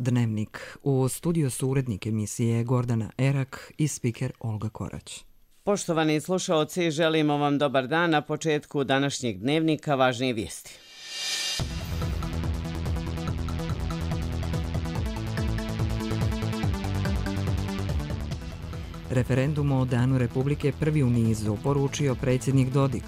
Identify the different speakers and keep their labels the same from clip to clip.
Speaker 1: Dnevnik. U studiju su urednik emisije Gordana Erak i spiker Olga Korać.
Speaker 2: Poštovani slušaoci, želimo vam dobar dan. Na početku današnjeg dnevnika važnije vijesti.
Speaker 1: Referendum o Danu Republike prvi u nizu poručio predsjednik Dodik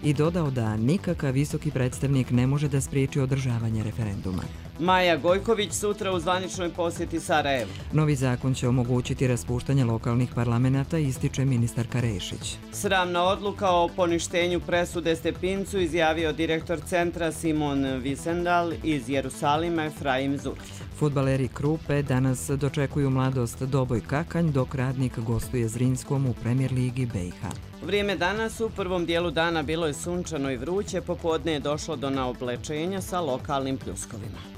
Speaker 1: i dodao da nikakav visoki predstavnik ne može da spriječi održavanje referenduma.
Speaker 2: Maja Gojković sutra u zvaničnoj posjeti Sarajevu.
Speaker 1: Novi zakon će omogućiti raspuštanje lokalnih parlamenata, ističe ministarka Rešić.
Speaker 2: Sramna odluka o poništenju presude Stepincu izjavio direktor centra Simon Visendal iz Jerusalima Efraim Zurf.
Speaker 1: Fudbaleri Krupe danas dočekuju Mladost Doboj Kakanj, dok Radnik gostuje Zrinskom u Premier ligi BiH.
Speaker 2: Vrijeme danas u prvom dijelu dana bilo je sunčano i vruće, popodne je došlo do naoblečenja sa lokalnim pljuskovima.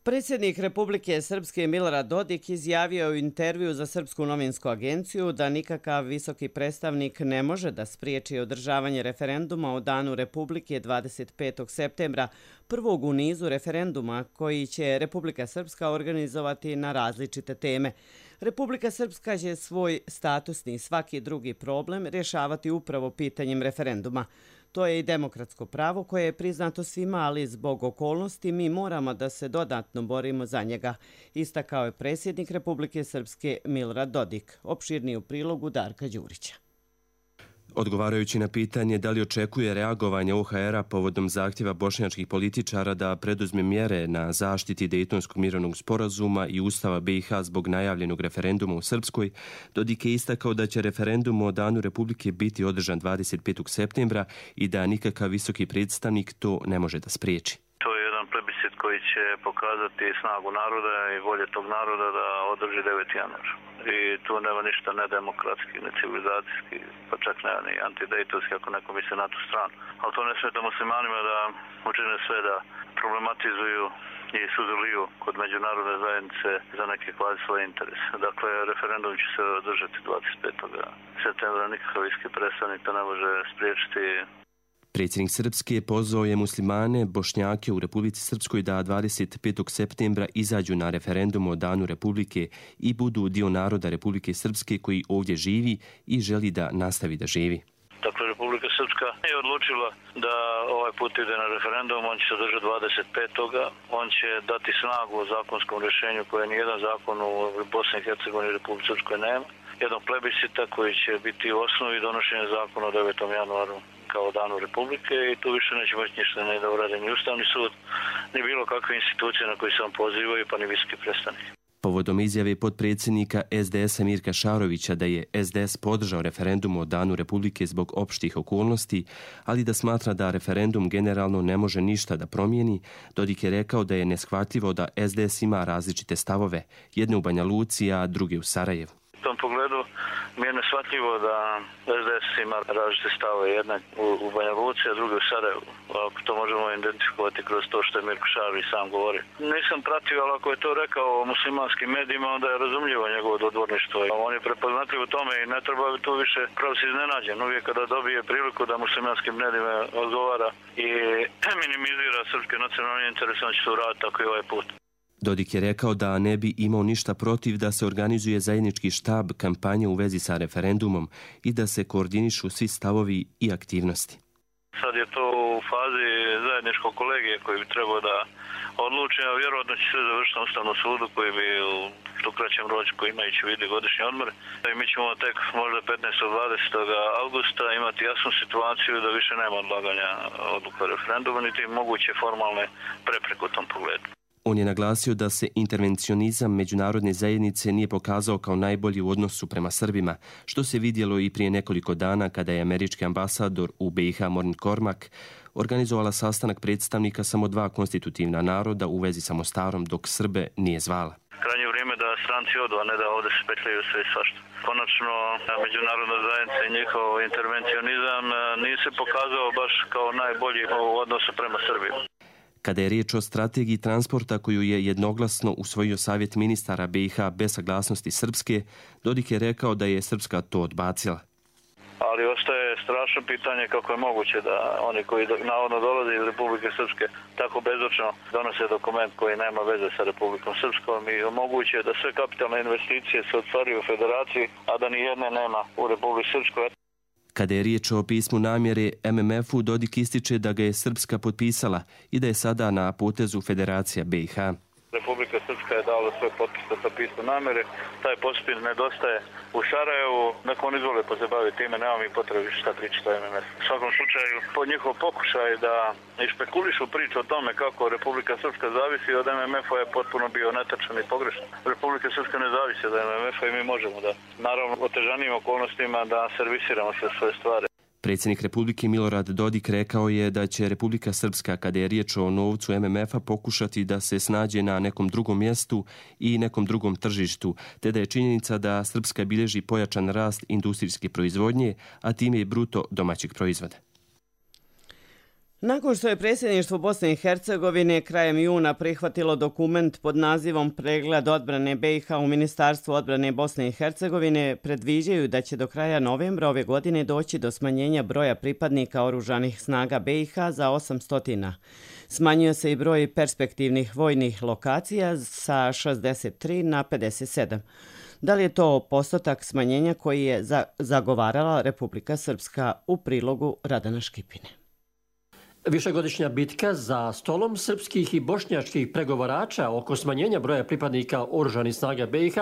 Speaker 2: Predsjednik Republike Srpske Milorad Dodik izjavio je u intervju za Srpsku novinsku agenciju da nikakav visoki predstavnik ne može da spriječi održavanje referenduma o Danu Republike 25. septembra, prvog u nizu referenduma koji će Republika Srpska organizovati na različite teme. Republika Srpska će svoj statusni i svaki drugi problem rješavati upravo pitanjem referenduma. To je i demokratsko pravo koje je priznato svima, ali zbog okolnosti mi moramo da se dodatno borimo za njega, istakao je predsjednik Republike Srpske Milorad Dodik. Opširniji u prilogu Darka Đurića.
Speaker 3: Odgovarajući na pitanje da li očekuje reagovanje OHR-a povodom zahtjeva bošnjačkih političara da preduzme mjere na zaštiti Dejtonskog mirovnog sporazuma i Ustava BiH zbog najavljenog referenduma u Srpskoj, Dodik je istakao da će referendum o Danu Republike biti održan 25. septembra i da nikakav visoki predstavnik to ne može da spriječi.
Speaker 4: To je jedan plebiscit koji će pokazati snagu naroda i volje tog naroda da održi 9. januar. I tu nema ništa nedemokratski, ne civilizacijski, pa čak nema ni antidejtovski ako neko misli na tu stranu. Ali to ne smeta muslimanima da učine sve da problematizuju i sudjeluju kod međunarodne zajednice za neke kvazi svoje interese. Dakle, referendum će se održati 25. septembra, nikakav visoki predstavnik to ne može spriječiti.
Speaker 3: Predsjednik Srpske pozvao je muslimane, Bošnjake u Republici Srpskoj da 25. septembra izađu na referendum o Danu Republike i budu dio naroda Republike Srpske koji ovdje živi i želi da nastavi da živi.
Speaker 4: Dakle, Republika Srpska je odlučila da ovaj put ide na referendum, on će se održati 25. On će dati snagu o zakonskom rješenju koje nijedan zakon u Bosni i Hercegovini i Republike Srpskoj nema. Jednog plebiscita koji će biti u osnovi donošenja zakona o 9. januaru kao Danu Republike i tu više neće moći ništa ne da urade ni Ustavni sud, ni bilo kakve institucije na koje se on pozivaju, pa ni visoki predstavnik.
Speaker 3: Povodom izjave potpredsjednika SDS-a Mirka Šarovića da je SDS podržao referendum o Danu Republike zbog opštih okolnosti, ali da smatra da referendum generalno ne može ništa da promijeni, Dodik je rekao da je neshvatljivo da SDS ima različite stavove, jedne u Banja Luci, a druge u Sarajevu.
Speaker 4: U tom pogledu mi je neshvatljivo da SDS ima različite stave, jedna u Banja Luci, a druga u Sarajevu. Ako to možemo identifikovati kroz to što je Mirko Šarović sam govori. Nisam pratio, ali ako je to rekao o muslimanskim medijima, onda je razumljivo njegovo dodvorništvo. On je prepoznatljiv u tome i ne treba tu više prav se iznenađen. Uvijek kada dobije priliku da muslimanskim medijima odgovara i minimizira srpske nacionalne interese, on će to uraditi tako i ovaj put.
Speaker 3: Dodik je rekao da ne bi imao ništa protiv da se organizuje zajednički štab kampanje u vezi sa referendumom i da se koordinišu svi stavovi i aktivnosti.
Speaker 4: Sad je to u fazi zajedničkog kolegije koji bi trebao da odluči, a vjerojatno će sve završiti na Ustavnom sudu koji bi u što kraćem ročku imajući vidi godišnji odmor. I mi ćemo tek možda 15. 20. augusta imati jasnu situaciju da više nema odlaganja odluka referenduma niti moguće formalne prepreke u tom pogledu.
Speaker 3: On je naglasio da se intervencionizam međunarodne zajednice nije pokazao kao najbolji u odnosu prema Srbima, što se vidjelo i prije nekoliko dana kada je američki ambasador u BiH Morn Kormak organizovala sastanak predstavnika samo dva konstitutivna naroda u vezi sa Mostarom, dok Srbe nije zvala.
Speaker 4: Krajnje vrijeme da stranci odu, a ne da ovdje se petljaju sve i svašta. Konačno, međunarodna zajednica i njihov intervencionizam nije se pokazao baš kao najbolji u odnosu prema Srbiji.
Speaker 3: Kada je riječ o strategiji transporta koju je jednoglasno usvojio Savjet ministara BiH bez saglasnosti Srpske, Dodik je rekao da je Srpska to odbacila.
Speaker 4: Ali ostaje strašno pitanje kako je moguće da oni koji navodno dolaze iz Republike Srpske tako bezočno donose dokument koji nema veze sa Republikom Srpskom i omoguće da sve kapitalne investicije se ostvaruju u federaciji, a da ni jedne nema u Republici Srpskoj.
Speaker 3: Kada je riječ o pismu namjere MMF-u, Dodik ističe da ga je Srpska potpisala i da je sada na potezu Federacija BiH.
Speaker 4: Republika Srpska je dala svoj potpis za to pismo namjere. Taj potpis nedostaje u Sarajevu. Nek oni izvole pa se bavi time, nema mi potrebe šta pričati o MMF. U svakom slučaju, po njihov pokušaj da špekulišu priču o tome kako Republika Srpska zavisi od MMF-a je potpuno bio netačan i pogrešan. Republika Srpska ne zavisi od MMF-a i mi možemo da, naravno, otežanim okolnostima da servisiramo sve svoje stvari.
Speaker 3: Predsjednik Republike Milorad Dodik rekao je da će Republika Srpska, kada je riječ o novcu MMF-a, pokušati da se snađe na nekom drugom mjestu i nekom drugom tržištu, te da je činjenica da Srpska bilježi pojačan rast industrijske proizvodnje, a time i bruto domaćeg proizvoda.
Speaker 2: Nakon što je predsjedništvo Bosne i Hercegovine krajem juna prihvatilo dokument pod nazivom Pregled odbrane BiH u Ministarstvu odbrane Bosne i Hercegovine, predviđaju da će do kraja novembra ove godine doći do smanjenja broja pripadnika oružanih snaga BiH za 800. Smanjuje se i broj perspektivnih vojnih lokacija sa 63 na 57. Da li je to postotak smanjenja koji je zagovarala Republika Srpska, u prilogu Radana Škipine?
Speaker 5: Višegodišnja bitka za stolom srpskih i bošnjačkih pregovarača oko smanjenja broja pripadnika oružanih snaga BiH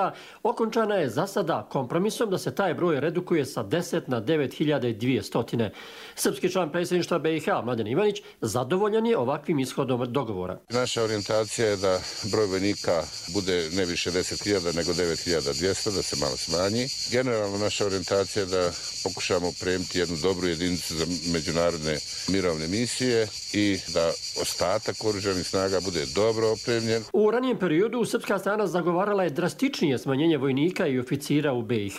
Speaker 5: okončana je za sada kompromisom da se taj broj redukuje sa 10 na 9200. Srpski član predsjedništva BiH, Mladen Ivanić, zadovoljan je ovakvim ishodom dogovora.
Speaker 6: Naša orijentacija je da broj vojnika bude ne više 10.000 nego 9.200, da se malo smanji. Generalno naša orijentacija je da pokušamo opremiti jednu dobru jedinicu za međunarodne mirovne misije i da ostatak oružanih snaga bude dobro opremljen.
Speaker 5: U ranijem periodu srpska strana zagovarala je drastičnije smanjenje vojnika i oficira u BiH.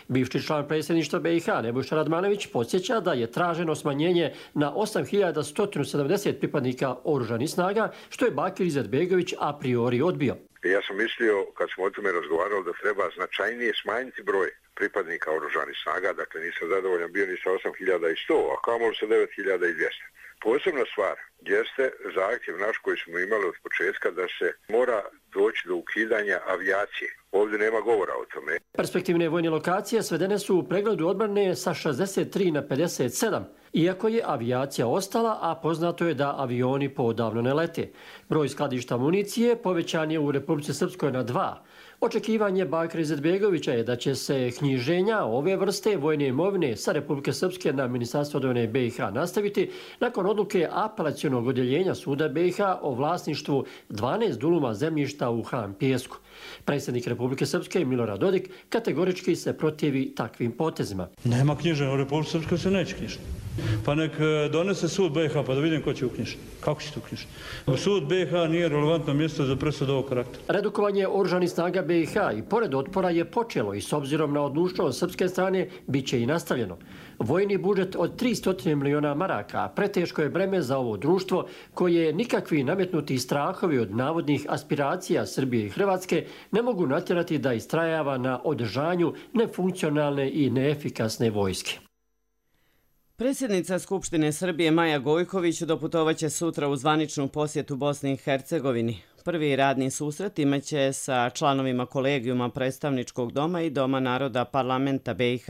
Speaker 5: Bivši član predsjedništva BiH, Nebojša Radmanović, podsjeća da je traženo smanjenje na 8.170 pripadnika oružanih snaga, što je Bakir Izetbegović a priori odbio.
Speaker 7: Ja sam mislio, kad smo o tome razgovarali, da treba značajnije smanjiti broj pripadnika oružanih snaga, dakle nisam zadovoljan bio ni sa 8.100, a kamoli sa 9.200. Posebna stvar jeste zahtjev naš koji smo imali od početka da se mora doći do ukidanja avijacije. Ovdje nema govora o tome.
Speaker 5: Perspektivne vojne lokacije svedene su u pregledu odbrane sa 63 na 57, iako je avijacija ostala, a poznato je da avioni poodavno ne lete. Broj skladišta municije povećan je u Republici Srpskoj na 2. Očekivanje Bakira Izetbegovića je da će se knjiženja ove vrste vojne imovine sa Republike Srpske na Ministarstvo odbrane BiH nastaviti nakon odluke apelacionog odjeljenja suda BiH o vlasništvu 12 duluma zemljišta u Han Pijesku. Predsjednik Republike Srpske Milorad Dodik kategorički se protivi takvim potezima.
Speaker 8: Nema knjiženja, u Republike Srpske se neće knjižiti. Pa nek donese sud BiH pa da vidim ko će uknjižiti. Kako će to uknjižiti? Sud BiH nije relevantno mjesto za presudu ovog karaktera.
Speaker 5: Redukovanje oružanih snaga BiH i pored otpora je počelo i s obzirom na odlučnost srpske strane bit će i nastavljeno. Vojni budžet od 300 miliona maraka preteško je breme za ovo društvo koje nikakvi nametnuti strahovi od navodnih aspiracija Srbije i Hrvatske ne mogu natjerati da istrajava na održanju nefunkcionalne i neefikasne vojske.
Speaker 2: Predsjednica Skupštine Srbije Maja Gojković doputovaće sutra u zvaničnu posjetu Bosni i Hercegovini. Prvi radni susret imaće sa članovima kolegijuma Predstavničkog doma i Doma naroda Parlamenta BiH.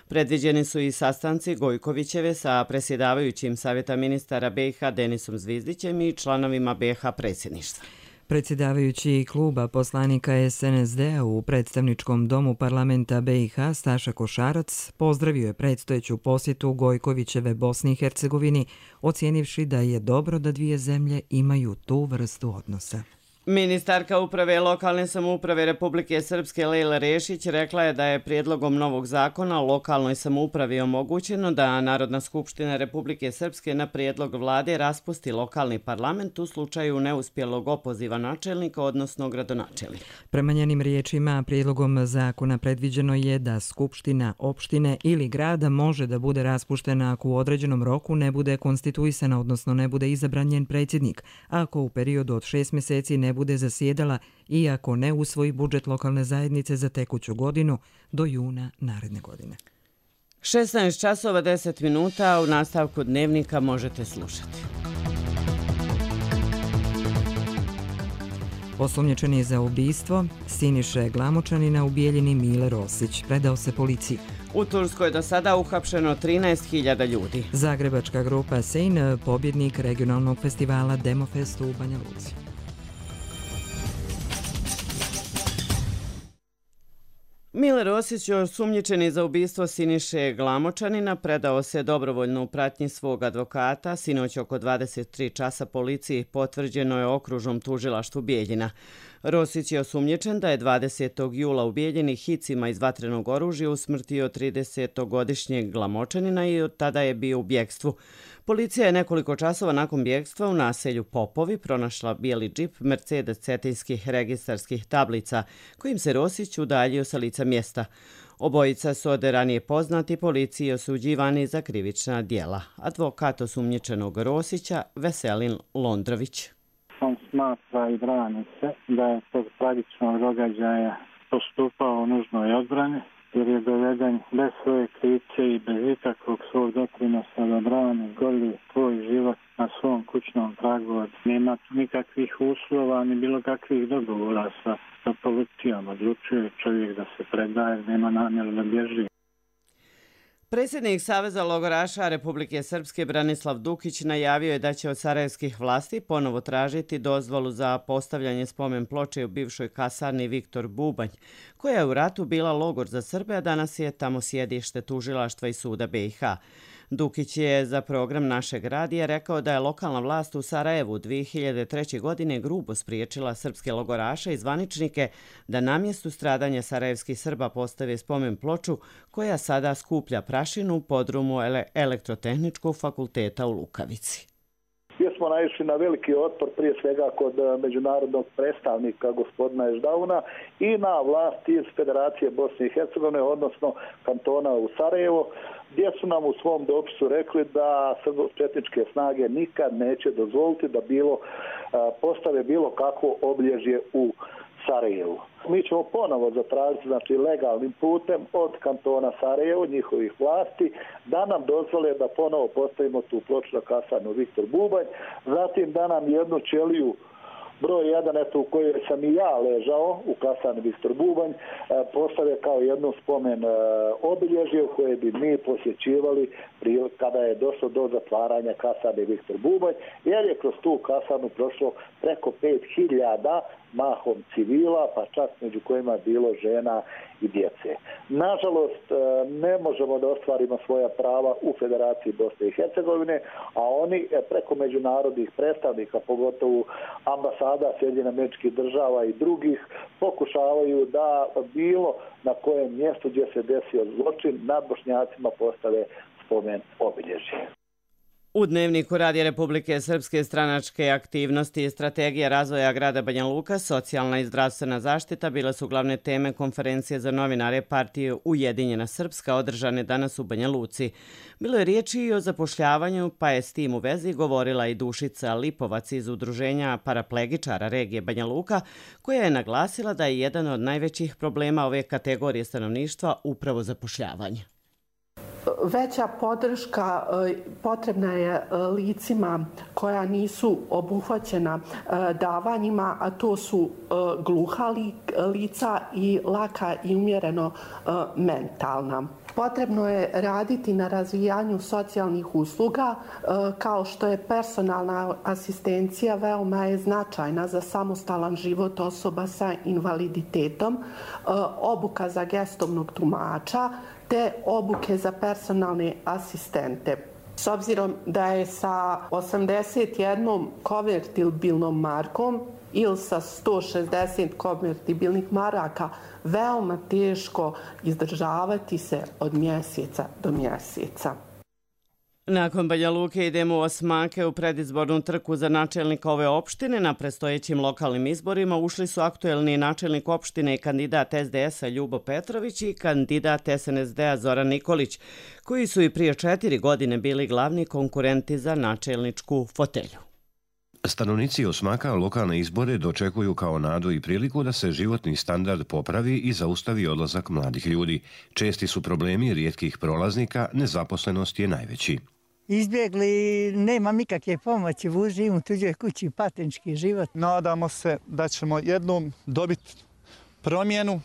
Speaker 2: Predviđeni su i sastanci Gojkovićeve sa predsjedavajućim Savjeta ministara BiH Denisom Zvizdićem i članovima BiH predsjedništva.
Speaker 1: Predsjedavajući kluba poslanika SNSD-a u Predstavničkom domu parlamenta BiH Staša Košarac pozdravio je predstojeću posjetu Gojkovićeve Bosni i Hercegovini, ocijenivši da je dobro da dvije zemlje imaju tu vrstu odnosa.
Speaker 2: Ministarka uprave lokalne samouprave Republike Srpske Lejla Rešić rekla je da je prijedlogom novog zakona o lokalnoj samoupravi omogućeno da Narodna skupština Republike Srpske na prijedlog vlade raspusti lokalni parlament u slučaju neuspjelog opoziva načelnika, odnosno gradonačelnika.
Speaker 1: Prema njenim riječima, prijedlogom zakona predviđeno je da skupština opštine ili grada može da bude raspuštena ako u određenom roku ne bude konstituisana, odnosno ne bude izabran njen predsjednik, ako u periodu od 6 mjeseci ne bude zasjedala i ako ne usvoji budžet lokalne zajednice za tekuću godinu do juna naredne godine.
Speaker 2: 16 časova 10 minuta, u nastavku dnevnika možete slušati.
Speaker 1: Osumnjičeni za ubistvo Siniše Glamočanina u Bijeljini Mile Rosić predao se policiji.
Speaker 2: U Turskoj je do sada uhapšeno 13.000 ljudi.
Speaker 1: Zagrebačka grupa Sejn, pobjednik regionalnog festivala Demofest u Banja Luci.
Speaker 2: Mile Rosić, osumnjičeni za ubistvo Siniše Glamočanina, predao se dobrovoljno u pratnji svog advokata. Sinoć oko 23 časa policiji potvrđeno je okružnom tužilaštvu Bijeljina. Rosić je osumnjičen da je 20. jula u Bijeljini hicima iz vatrenog oružja usmrtio 30-godišnjeg Glamočanina i od tada je bio u bjegstvu. Policija je nekoliko časova nakon bjegstva u naselju Popovi pronašla bijeli džip Mercedes cetinskih registarskih tablica, kojim se Rosić udaljio sa lica mjesta. Obojica su od ranije poznati policiji osuđivani za krivična djela. Advokat osumnjičenog Rosića Veselin Londrović.
Speaker 9: On smatra i brani se da je tog tragičnog događaja postupao u nužnoj odbrani, jer je doveden bez svoje krivice i bez ikakvog svog doprinosa da brani goli tvoj život na svom kućnom pragu. Nema nikakvih uslova ni bilo kakvih dogovora sa policijom. Odlučuje čovjek da se predaje, nema namjeru da bježi.
Speaker 2: Predsjednik Saveza logoraša Republike Srpske Branislav Dukić najavio je da će od sarajevskih vlasti ponovo tražiti dozvolu za postavljanje spomen ploče u bivšoj kasarni Viktor Bubanj, koja je u ratu bila logor za Srbe, a danas je tamo sjedište tužilaštva i suda BiH. Dukić je za program našeg radija rekao da je lokalna vlast u Sarajevu 2003. godine grubo spriječila srpske logoraše i zvaničnike da na mjestu stradanja sarajevskih Srba postave spomen ploču koja sada skuplja prašinu u podrumu Elektrotehničkog fakulteta u Lukavici.
Speaker 10: Gdje smo naišli na veliki otpor prije svega kod međunarodnog predstavnika gospodina Eždauna i na vlasti iz Federacije Bosne i Hercegovine, odnosno kantona u Sarajevo, gdje su nam u svom dopisu rekli da srbočetničke snage nikad neće dozvoliti da postave bilo kakvo obilježje u Sarajevu. Mi ćemo ponovo zatražiti, znači legalnim putem od kantona Sarajevo, njihovih vlasti, da nam dozvole da ponovo postavimo tu ploču na kasarnu Viktor Bubanj, zatim da nam jednu ćeliju broj 1, eto u kojoj sam i ja ležao, u kasarni Viktor Bubanj, postave kao jednu spomen obilježje u koje bi mi posjećivali kada je došlo do zatvaranja kasarne Viktor Bubanj, jer je kroz tu kasarnu prošlo preko 5.000 mahom civila, pa čak među kojima je bilo žena i djece. Nažalost, ne možemo da ostvarimo svoja prava u Federaciji Bosne i Hercegovine, a oni preko međunarodnih predstavnika, pogotovo ambasada Sjedinjenih Američkih Država i drugih, pokušavaju da bilo na kojem mjestu gdje se desio zločin nad Bošnjacima postave spomen obilježje.
Speaker 2: U dnevniku Radija Republike Srpske stranačke aktivnosti i strategija razvoja grada Banja Luka, socijalna i zdravstvena zaštita bile su glavne teme konferencije za novinare partije Ujedinjena Srpska održane danas u Banja Luci. Bilo je riječi i o zapošljavanju, pa je s tim u vezi govorila i Dušica Lipovac iz udruženja paraplegičara regije Banja Luka, koja je naglasila da je jedan od najvećih problema ove kategorije stanovništva upravo zapošljavanje.
Speaker 11: Veća podrška potrebna je licima koja nisu obuhvaćena davanjima, a to su gluha lica i laka i umjereno mentalna. Potrebno je raditi na razvijanju socijalnih usluga, kao što je personalna asistencija veoma je značajna za samostalan život osoba sa invaliditetom, obuka za gestovnog tumača, te obuke za personalne asistente. S obzirom da je sa 81 konvertibilnom markom ili sa 160 konvertibilnih maraka veoma teško izdržavati se od mjeseca do mjeseca.
Speaker 2: Nakon Banja Luke idemo u Osmake u predizbornu trku za načelnika ove opštine. Na predstojećim lokalnim izborima ušli su aktuelni načelnik opštine i kandidat SDS-a Ljubo Petrović i kandidat SNSD-a Zoran Nikolić, koji su i prije 4 godine bili glavni konkurenti za načelničku fotelju.
Speaker 12: Stanovnici Osmaka lokalne izbore dočekuju kao nadu i priliku da se životni standard popravi i zaustavi odlazak mladih ljudi. Česti su problemi rijetkih prolaznika, nezaposlenost je najveći.
Speaker 13: Izbjegli, nema nikakve pomoći, živim u tuđoj kući, patnički život.
Speaker 14: Nadamo se da ćemo jednom dobiti promjenu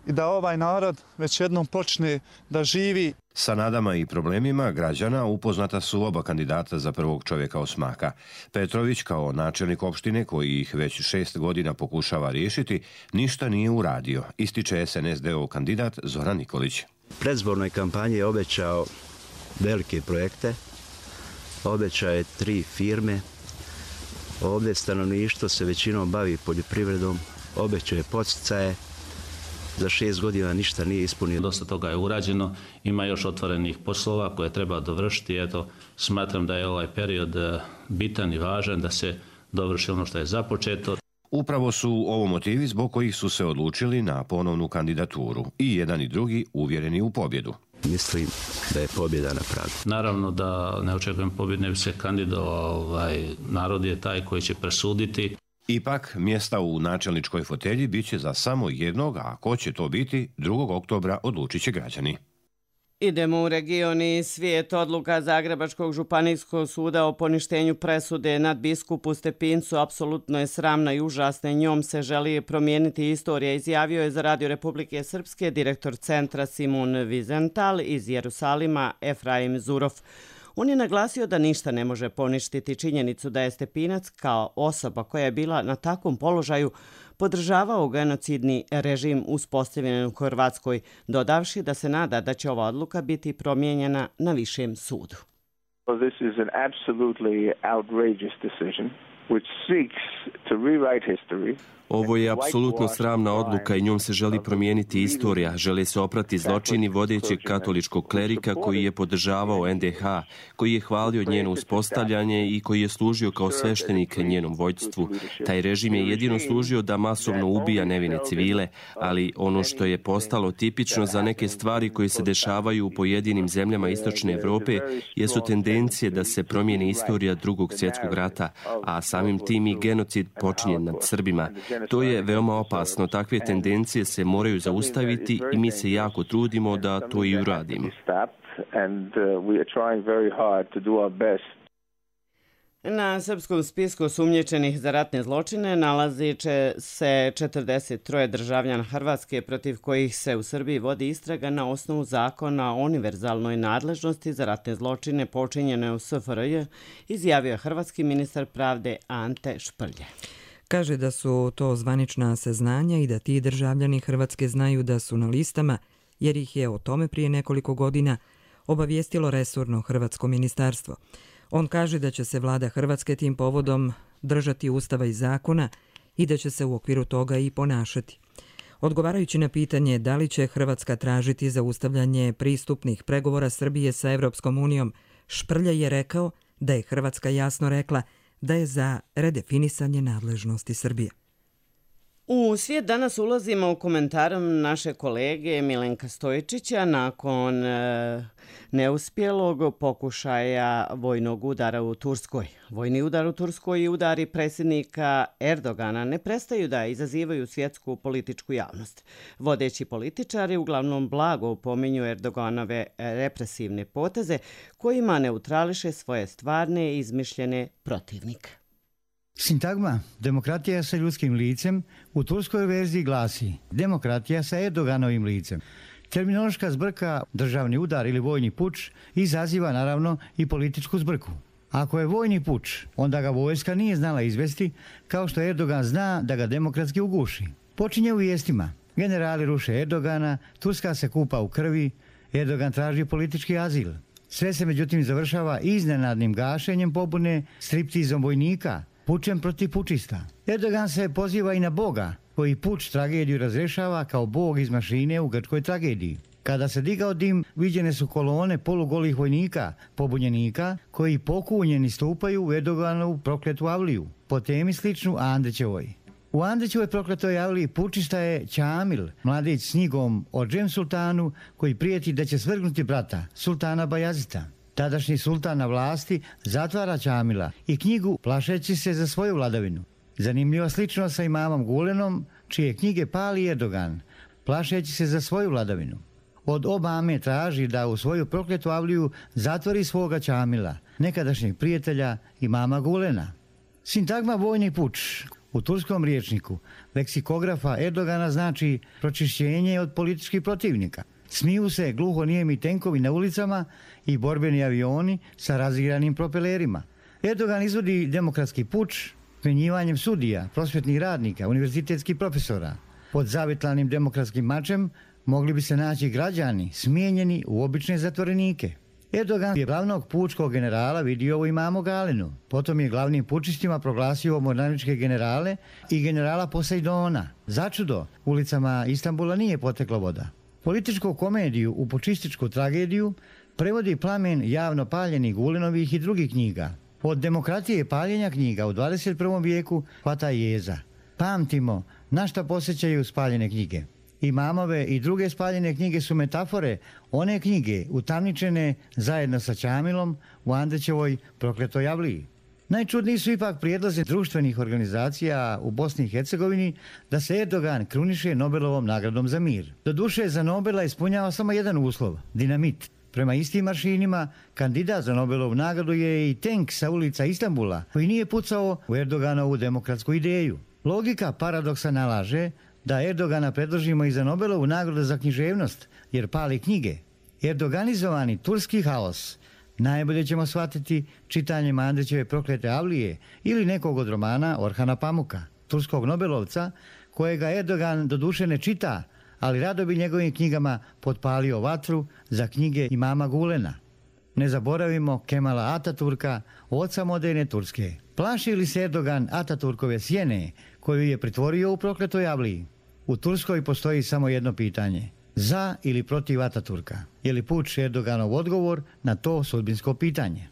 Speaker 14: i da ovaj narod već jednom počne da živi.
Speaker 12: Sa nadama i problemima građana upoznata su oba kandidata za prvog čovjeka Osmaka. Petrović kao načelnik opštine koji ih već 6 godina pokušava riješiti, ništa nije uradio, ističe SNSD-ov kandidat Zoran Nikolić.
Speaker 15: U predzbornoj kampanji je obećao velike projekte, obećao je 3 firme, ovdje stanovništvo se većinom bavi poljoprivredom, obećao je podsticaje, za 6 godina ništa nije ispunio.
Speaker 16: Dosta toga je urađeno, ima još otvorenih poslova koje treba dovršiti. Eto, smatram da je ovaj period bitan i važan da se dovrši ono što je započeto.
Speaker 12: Upravo su ovo motivi zbog kojih su se odlučili na ponovnu kandidaturu i jedan i drugi uvjereni u pobjedu.
Speaker 15: Mislim da je pobjeda na pragu.
Speaker 16: Naravno da ne očekujem pobjedu, ne bi se kandidovao, narod je taj koji će presuditi.
Speaker 12: Ipak, mjesta u načelničkoj fotelji bit će za samo jednog, a ko će to biti, 2. oktobra odlučit će građani.
Speaker 2: Idemo u region i svijet. Odluka Zagrebačkog županijskog suda o poništenju presude nad biskupu Stepincu apsolutno je sramna i užasna. Njom se želi promijeniti istorija, izjavio je za Radio Republike Srpske direktor centra Simun Vizental iz Jerusalima Efraim Zurov. On je naglasio da ništa ne može poništiti činjenicu da je Stepinac kao osoba koja je bila na takvom položaju podržavao genocidni režim uspostavljen u Hrvatskoj, dodavši da se nada da će ova odluka biti promijenjena na višem sudu.
Speaker 17: This is an absolutely outrageous decision which seeks to rewrite history.
Speaker 3: Ovo je apsolutno sramna odluka i njom se želi promijeniti istorija. Žele se oprati zločini vodećeg katoličkog klerika koji je podržavao NDH, koji je hvalio njeno uspostavljanje i koji je služio kao sveštenik njenom vođstvu. Taj režim je jedino služio da masovno ubija nevine civile, ali ono što je postalo tipično za neke stvari koje se dešavaju u pojedinim zemljama Istočne Evrope jesu tendencije da se promijeni istorija Drugog svjetskog rata, a samim tim i genocid počinjen nad Srbima. To je veoma opasno. Takve tendencije se moraju zaustaviti i mi se jako trudimo da to i uradimo.
Speaker 2: Na srpskom spisku osumnjičenih za ratne zločine nalazi se 43 državljana Hrvatske protiv kojih se u Srbiji vodi istraga na osnovu zakona o univerzalnoj nadležnosti za ratne zločine počinjene u SFRJ, izjavio hrvatski ministar pravde Ante Šprlje.
Speaker 1: Kaže da su to zvanična saznanja i da ti državljani Hrvatske znaju da su na listama, jer ih je o tome prije nekoliko godina obavijestilo resorno hrvatsko ministarstvo. On kaže da će se vlada Hrvatske tim povodom držati ustava i zakona i da će se u okviru toga i ponašati. Odgovarajući na pitanje da li će Hrvatska tražiti zaustavljanje pristupnih pregovora Srbije sa Evropskom unijom, Šprlja je rekao da je Hrvatska jasno rekla da je za redefinisanje nadležnosti Srbije.
Speaker 2: U svijet danas ulazimo u komentarom naše kolege Milenka Stojičića nakon neuspjelog pokušaja vojnog udara u Turskoj. Vojni udar u Turskoj i udari predsjednika Erdogana ne prestaju da izazivaju svjetsku političku javnost. Vodeći političari uglavnom blago pominju Erdoganove represivne poteze kojima neutrališe svoje stvarne i izmišljene protivnike.
Speaker 18: Sintagma demokratija sa ljudskim licem u turskoj verziji glasi demokratija sa Erdoganovim licem. Terminološka zbrka, državni udar ili vojni puč izaziva naravno i političku zbrku. Ako je vojni puč, onda ga vojska nije znala izvesti, kao što Erdogan zna da ga demokratski uguši. Počinje u vijestima. Generali ruše Erdogana, Turska se kupa u krvi, Erdogan traži politički azil. Sve se međutim završava iznenadnim gašenjem pobune, striptizom vojnika, pučem protiv pučista. Erdogan se poziva i na Boga, koji puč tragediju razrešava kao Bog iz mašine u grčkoj tragediji. Kada se digao dim, viđene su kolone polugolih vojnika, pobunjenika, koji pokunjeni stupaju u Erdoganovu prokletu avliju, po temi sličnu Andrićevoj. U Andrićevoj prokletoj avliji pučista je Čamil, mladić s njigom o Džem sultanu, koji prijeti da će svrgnuti brata, sultana Bajazita. Tadašnji sultan na vlasti zatvara Čamila i knjigu plašeći se za svoju vladavinu. Zanimljiva sličnost sa imamom Gulenom, čije knjige pali Erdogan, plašeći se za svoju vladavinu. Od Obame traži da u svoju prokletu avliju zatvori svoga Čamila, nekadašnjeg prijatelja imama Gulena. Sintagma vojni puč u turskom rječniku leksikografa Erdogana znači pročišćenje od političkih protivnika. Smiju se gluhonijemi tenkovi na ulicama i borbeni avioni sa raziranim propelerima. Erdogan izvodi demokratski puč smenjivanjem sudija, prosvjetnih radnika, univerzitetskih profesora. Pod zavitlanim demokratskim mačem mogli bi se naći građani smijenjeni u obične zatvorenike. Erdogan je glavnog pučkog generala vidio u imamu Galenu. Potom je glavnim pučistima proglasio mornaričke generale i generala Poseidona. Začudo, ulicama Istanbula nije potekla voda. Političku komediju u pučističku tragediju prevodi plamen javno paljenih Gulenovih i drugih knjiga. Od demokratije i paljenja knjiga u 21. vijeku hvata jeza. Pamtimo na šta posjećaju spaljene knjige. Imamove i druge spaljene knjige su metafore one knjige utamničene zajedno sa Čamilom u Andrićevoj prokletoj avliji. Najčudniji su ipak prijedlozi društvenih organizacija u Bosni i Hercegovini da se Erdogan kruniše Nobelovom nagradom za mir. Doduše, za Nobela ispunjava samo jedan uslov – dinamit. Prema istim aršinima, kandidat za Nobelovu nagradu je i tenk sa ulica Istanbula koji nije pucao u Erdoganovu demokratsku ideju. Logika paradoksa nalaže da Erdogana predložimo i za Nobelovu nagradu za književnost, jer pali knjige. Erdoganizovani turski haos najbolje ćemo shvatiti čitanjem Andrićeve proklete avlije ili nekog od romana Orhana Pamuka, turskog Nobelovca, kojega Erdogan doduše ne čita, ali rado bi njegovim knjigama potpalio vatru za knjige imama Gulena. Ne zaboravimo Kemala Ataturka, oca moderne Turske. Plaši li se Erdogan Ataturkove sjene koju je pretvorio u prokletoj avliji? U Turskoj postoji samo jedno pitanje. Za ili protiv Ataturka? Je li puč Erdoganov odgovor na to sudbinsko pitanje?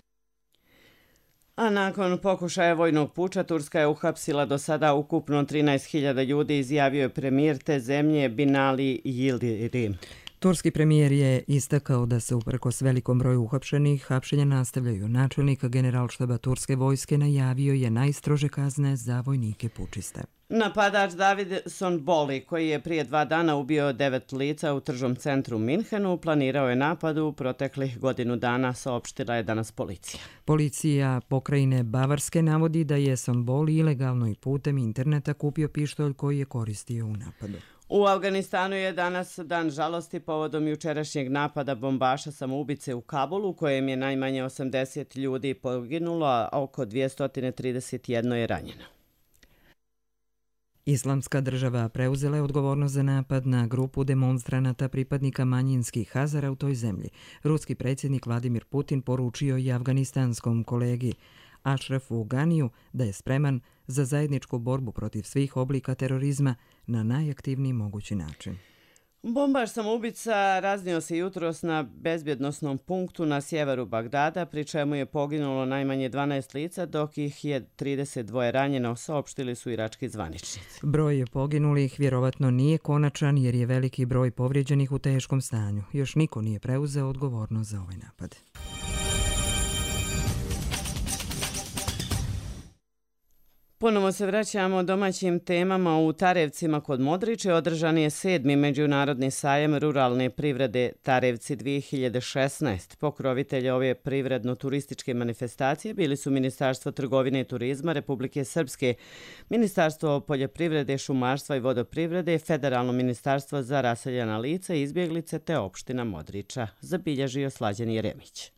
Speaker 2: A nakon pokušaja vojnog puča, Turska je uhapsila do sada ukupno 13.000 ljudi, izjavio je premijer te zemlje Binali Yildirim.
Speaker 1: Turski premijer je istakao da se uprkos velikom broju uhapšenih hapšenja nastavljaju. Načelnik generalštaba turske vojske najavio je najstrože kazne za vojnike pučiste.
Speaker 2: Napadač David Sonboli, koji je prije 2 dana ubio 9 lica u tržnom centru Minhenu, planirao je napad u proteklih godinu dana, saopštila je danas policija.
Speaker 1: Policija pokrajine Bavarske navodi da je Sonboli ilegalno i putem interneta kupio pištolj koji je koristio u napadu.
Speaker 2: U Afganistanu je danas dan žalosti povodom jučerašnjeg napada bombaša samoubice u Kabulu, kojem je najmanje 80 ljudi poginulo, a oko 231 je ranjeno.
Speaker 1: Islamska država preuzela je odgovornost za napad na grupu demonstranata pripadnika manjinskih Hazara u toj zemlji. Ruski predsjednik Vladimir Putin poručio i afganistanskom kolegi Ašrafu Ganiju da je spreman za zajedničku borbu protiv svih oblika terorizma na najaktivniji mogući način.
Speaker 2: Bombaš samoubica raznio se jutros na bezbjednosnom punktu na sjeveru Bagdada, pri čemu je poginulo najmanje 12 lica, dok ih je 32 ranjeno, saopštili su irački zvaničnici.
Speaker 1: Broj poginulih vjerovatno nije konačan jer je veliki broj povrijeđenih u teškom stanju. Još niko nije preuzeo odgovornost za ovaj napad.
Speaker 2: Ponovo se vraćamo domaćim temama. U Tarevcima kod Modriče održan je 7. međunarodni sajam ruralne privrede Tarevci 2016. Pokrovitelji ove privredno-turističke manifestacije bili su Ministarstvo trgovine i turizma Republike Srpske, Ministarstvo poljoprivrede, šumarstva i vodoprivrede, Federalno ministarstvo za raseljena lica i izbjeglice te opština Modriča, zabilježio Slađan Jeremić.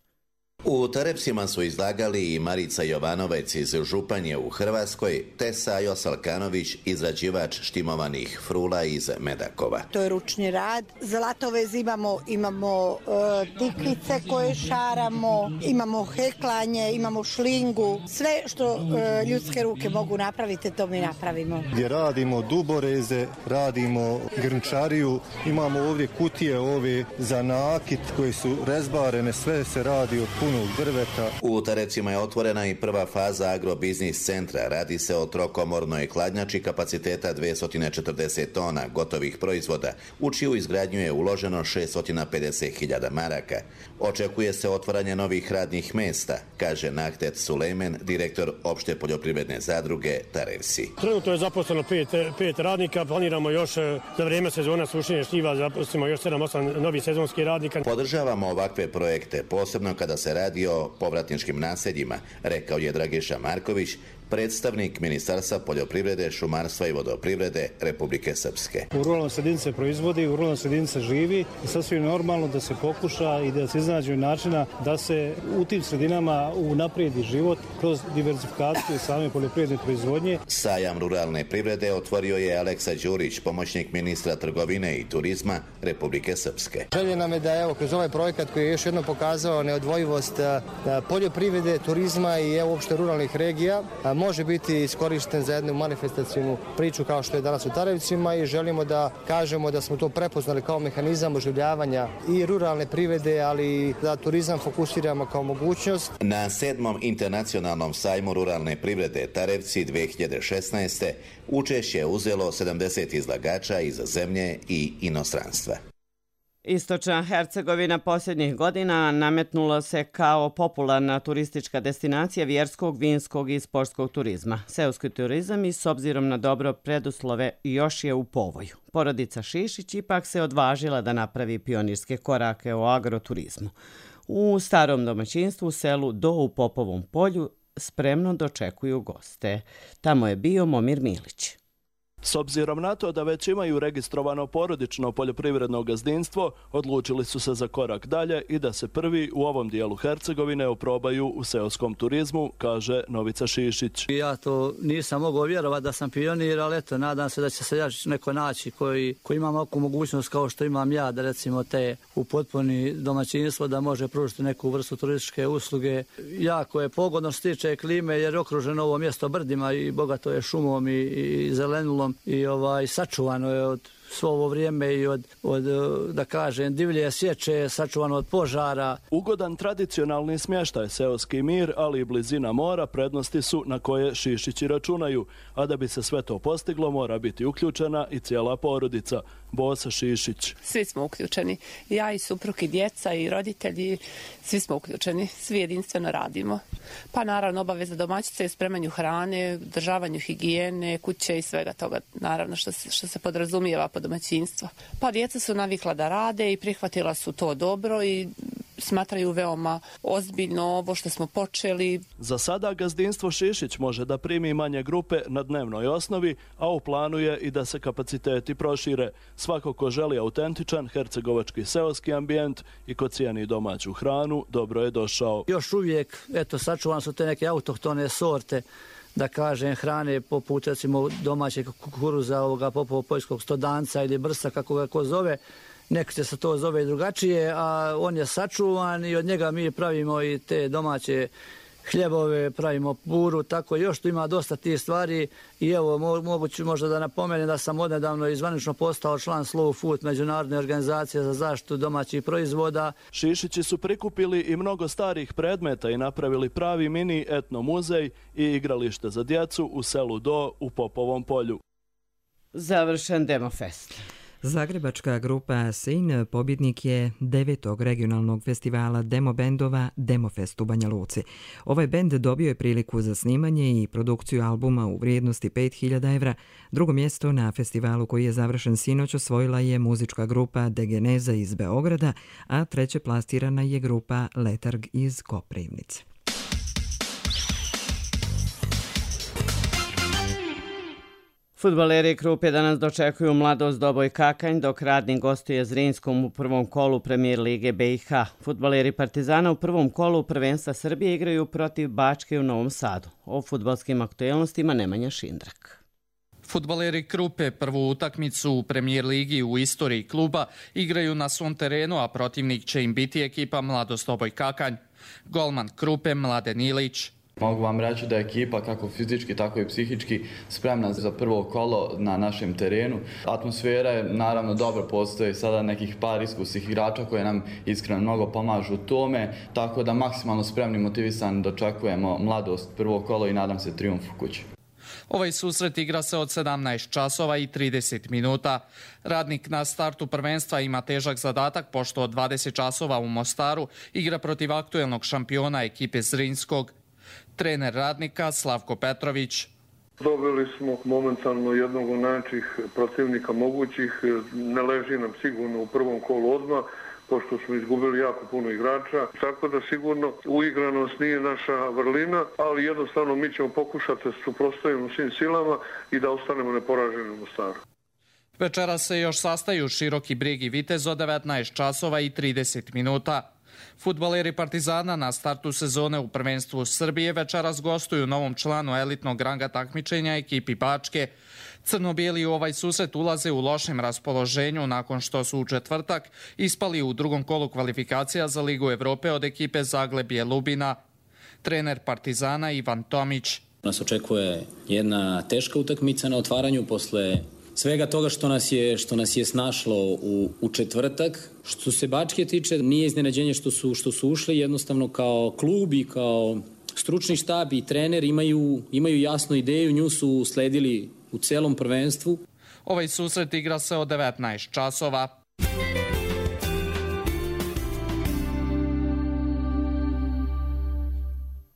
Speaker 19: U Tarevcima su izlagali i Marica Jovanovec iz Županje u Hrvatskoj, te Sajo Salkanović, izrađivač štimovanih frula iz Medakova.
Speaker 20: To je ručni rad. Zlatovez imamo tikvice koje šaramo, imamo heklanje, imamo šlingu. Sve što ljudske ruke mogu napraviti, to mi napravimo.
Speaker 21: Gdje radimo duboreze, radimo grnčariju, imamo ovdje kutije ove za nakit koje su rezbarene, sve se radi od puno punog drveta.
Speaker 19: U Tarevcima je otvorena i prva faza agrobiznis centra. Radi se o trokomornoj hladnjači kapaciteta 240 tona gotovih proizvoda, u čiju izgradnju je uloženo 650.000 maraka. Očekuje se otvaranje novih radnih mesta, kaže Nahtet Sulejmen, direktor opšte poljoprivredne zadruge Tarevsi.
Speaker 4: Trenutno je zaposleno 5 radnika, planiramo još za vrijeme sezona sušenja šljiva zaposlimo još 7-8 novih sezonskih radnika.
Speaker 19: Podržavamo ovakve projekte, posebno kada se radi o povratničkim naseljima, rekao je Dragiša Marković, predstavnik Ministarstva poljoprivrede, šumarstva i vodoprivrede Republike Srpske.
Speaker 21: U ruralnoj sredini se proizvodi, u ruralnoj sredini se živi i sasvim normalno da se pokuša i da se iznađe načina da se u tim sredinama unaprijedi život kroz diversifikaciju same poljoprivredne proizvodnje.
Speaker 19: Sajam ruralne privrede otvorio je Aleksa Đurić, pomoćnik ministra trgovine i turizma Republike Srpske.
Speaker 22: Želje nam je da evo kroz ovaj projekat koji je još jednom pokazao neodvojivost poljoprivrede, turizma i uopšte ruralnih regija, može biti iskorišten za jednu manifestacijnu priču kao što je danas u Tarevcima i želimo da kažemo da smo to prepoznali kao mehanizam oživljavanja i ruralne privrede, ali da turizam fokusiramo kao mogućnost.
Speaker 19: Na 7. internacionalnom sajmu ruralne privrede Tarevci 2016. učešće je uzelo 70 izlagača iz zemlje i inostranstva.
Speaker 2: Istočna Hercegovina posljednjih godina nametnula se kao popularna turistička destinacija vjerskog, vinskog i sportskog turizma. Seoski turizam i s obzirom na dobro preduslove još je u povoju. Porodica Šišić ipak se odvažila da napravi pionirske korake o agroturizmu. U starom domaćinstvu u selu Do u Popovom polju spremno dočekuju goste. Tamo je bio Momir Milić.
Speaker 23: S obzirom na to da već imaju registrovano porodično poljoprivredno gazdinstvo, odlučili su se za korak dalje i da se prvi u ovom dijelu Hercegovine oprobaju u seoskom turizmu, kaže Novica Šišić.
Speaker 24: Ja to nisam mogao vjerovati da sam pionir, ali eto, nadam se da će se neko naći koji ima ovakvu mogućnost kao što imam ja, da recimo te u potpuni domaćinstvo da može pružiti neku vrstu turističke usluge. Jako je pogodno što se tiče klime jer je okruženo ovo mjesto brdima i bogato je šumom i zelenulom. I sačuvano je od svo ovo vrijeme i od da kažem, divlje sječe, sačuvano od požara.
Speaker 23: Ugodan tradicionalni smještaj, seoski mir, ali i blizina mora prednosti su na koje Šišići računaju, a da bi se sve to postiglo mora biti uključena i cijela porodica. Bosa Šišić.
Speaker 25: Svi smo uključeni. Ja i suprug i djeca i roditelji, svi smo uključeni. Svi jedinstveno radimo. Pa naravno obaveza domaćice je spremanju hrane, državanju higijene, kuće i svega toga. Naravno što se podrazumijeva po domaćinstvo. Pa djeca su navikla da rade i prihvatila su to dobro i smatraju veoma ozbiljno ovo što smo počeli.
Speaker 23: Za sada gazdinstvo Šišić može da primi manje grupe na dnevnoj osnovi, a u planu je i da se kapaciteti prošire. Svako ko želi autentičan hercegovački seoski ambijent i ko cijeni domaću hranu, dobro je došao.
Speaker 24: Još uvijek, sačuvane su te neke autohtone sorte, da kažem, hrane poput recimo domaćeg kukuruza, popovo-poljskog stodanca ili brsa, kako ga ko zove. Neko se to zove drugačije, a on je sačuvan i od njega mi pravimo i te domaće hljebove, pravimo puru, tako još tu ima dosta tih stvari i evo moguće možda da napomenem da sam odnedavno izvanično postao član Slow Food, međunarodne organizacije za zaštitu domaćih proizvoda.
Speaker 23: Šišići su prikupili i mnogo starih predmeta i napravili pravi mini etno muzej i igralište za djecu u selu Do u Popovom polju.
Speaker 2: Završen Demofest.
Speaker 1: Zagrebačka grupa Sin pobjednik je 9. regionalnog festivala demo bendova Demofest u Banja Luci. Ovaj bend dobio je priliku za snimanje i produkciju albuma u vrijednosti 5.000 evra. Drugo mjesto na festivalu koji je završen sinoć osvojila je muzička grupa Degeneza iz Beograda, a treće plasirana je grupa Letarg iz Koprivnice.
Speaker 2: Fudbaleri Krupe danas dočekuju Mladost Doboj Kakanj, dok Radnik gostuje Zrinskom u prvom kolu Premijer Lige BiH. Fudbaleri Partizana u prvom kolu prvenstva Srbije igraju protiv Bačke u Novom Sadu. O fudbalskim aktuelnostima Nemanja Šindrak.
Speaker 26: Fudbaleri Krupe prvu utakmicu u Premijer Ligi u istoriji kluba igraju na svom terenu, a protivnik će im biti ekipa Mladost Doboj Kakanj. Golman Krupe Mladen Ilić,
Speaker 5: Mogu vam reći da je ekipa kako fizički, tako i psihički spremna za prvo kolo na našem terenu. Atmosfera je naravno dobro, postoji sada nekih par iskusnih igrača koje nam iskreno mnogo pomažu u tome, tako da maksimalno spremni, motivisani dočekujemo mladost prvo kolo i nadam se trijumf u kući.
Speaker 26: Ovaj susret igra se od 17 časova i 30 minuta. Radnik na startu prvenstva ima težak zadatak pošto od 20 časova u Mostaru igra protiv aktuelnog šampiona ekipe Zrinskog. Trener Radnika Slavko Petrović.
Speaker 6: Dobili smo momentalno jednog od najjačih protivnika mogućih. Ne leži nam sigurno u prvom kolu odmah, pošto smo izgubili jako puno igrača. Tako da sigurno uigranost nije naša vrlina, ali jednostavno mi ćemo pokušati da suprotstavimo svim silama i da ostanemo neporaženi u Mostaru.
Speaker 26: Večera se još sastaju Široki Brijeg i Vitez od 19 časova i 30 minuta. Fudbaleri Partizana na startu sezone u prvenstvu Srbije večeras gostuju novom članu elitnog ranga takmičenja ekipi Bačke. Crno-bijeli u ovaj susret ulaze u lošem raspoloženju nakon što su u četvrtak ispali u drugom kolu kvalifikacija za Ligu Evrope od ekipe Zaglebje Lubina. Trener Partizana Ivan Tomić.
Speaker 7: Nas očekuje jedna teška utakmica na otvaranju posle svega toga što nas je snašlo u četvrtak. Što se Bačke tiče, nije iznenađenje što su ušli, jednostavno kao klub i kao stručni štab i trener imaju jasnu ideju, nju su sledili u celom prvenstvu.
Speaker 26: Ovaj susret igra se od 19 časova.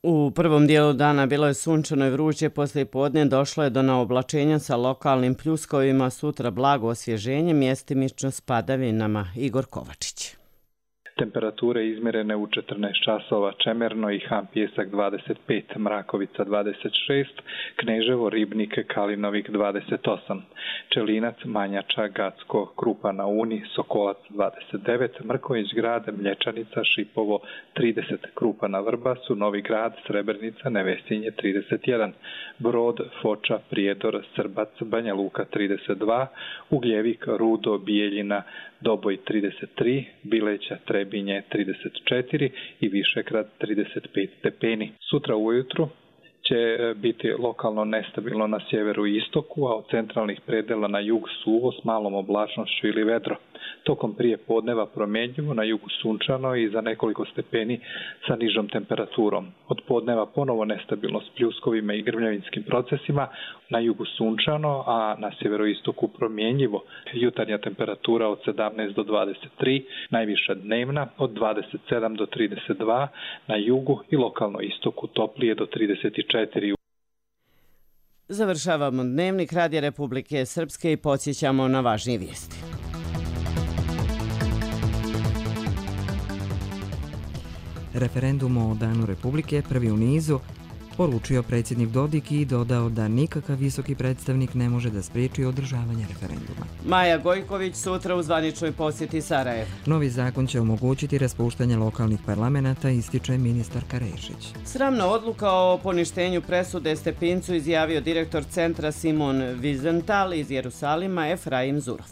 Speaker 2: U prvom dijelu dana bilo je sunčano i vruće, poslije podne došlo je do naoblačenja sa lokalnim pljuskovima, sutra blago osvježenje, mjestimično s padavinama. Igor Kovačić.
Speaker 8: Temperature izmjerene u 14 časova Čemerno i Han Pjesak 25, Mrakovica 26, Kneževo, Ribnik, Kalinovik 28, Čelinac, Manjača, Gacko, Krupa na Uni, Sokolac 29, Mrković grad, Mlječanica, Šipovo 30, Krupa na Vrbasu, Novi grad, Srebrnica, Nevesinje 31, Brod, Foča, Prijedor, Srbac, Banja Luka 32, Ugljevik, Rudo, Bijeljina, Doboj 33, Bileća, Trebinje 34 i Višegrad 35 stepeni. Sutra ujutru će biti lokalno nestabilno na sjeveru i istoku, a od centralnih predela na jug suvo s malom oblačnošću ili vedro. Tokom prije podneva promjenjivo, na jugu sunčano i za nekoliko stepeni sa nižom temperaturom. Od podneva ponovo nestabilno s pljuskovima i grmljavinskim procesima, na jugu sunčano, a na sjeveroistoku promjenjivo. Jutarnja temperatura od 17 do 23, najviša dnevna od 27 do 32, na jugu i lokalno istoku toplije do 34.
Speaker 2: Završavamo dnevnik Radija Republike Srpske i podsjećamo na važnije vijesti.
Speaker 1: Referendum o Danu Republike, prvi u nizu, poručio predsjednik Dodik i dodao da nikakav visoki predstavnik ne može da spriječi održavanje referenduma.
Speaker 2: Maja Gojković sutra u zvaničnoj posjeti Sarajevu.
Speaker 1: Novi zakon će omogućiti raspuštanje lokalnih parlamenata, ističe ministarka Rešić.
Speaker 2: Sramna odluka o poništenju presude Stepincu izjavio direktor centra Simon Wiesenthal iz Jerusalima Efraim Zurov.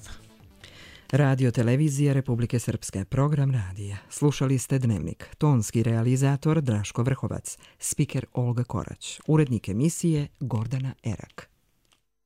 Speaker 1: Radio Televizija Republike Srpske, program radija. Slušali ste Dnevnik. Tonski realizator Draško Vrhovac, spiker Olga Korać, urednik emisije Gordana Erak.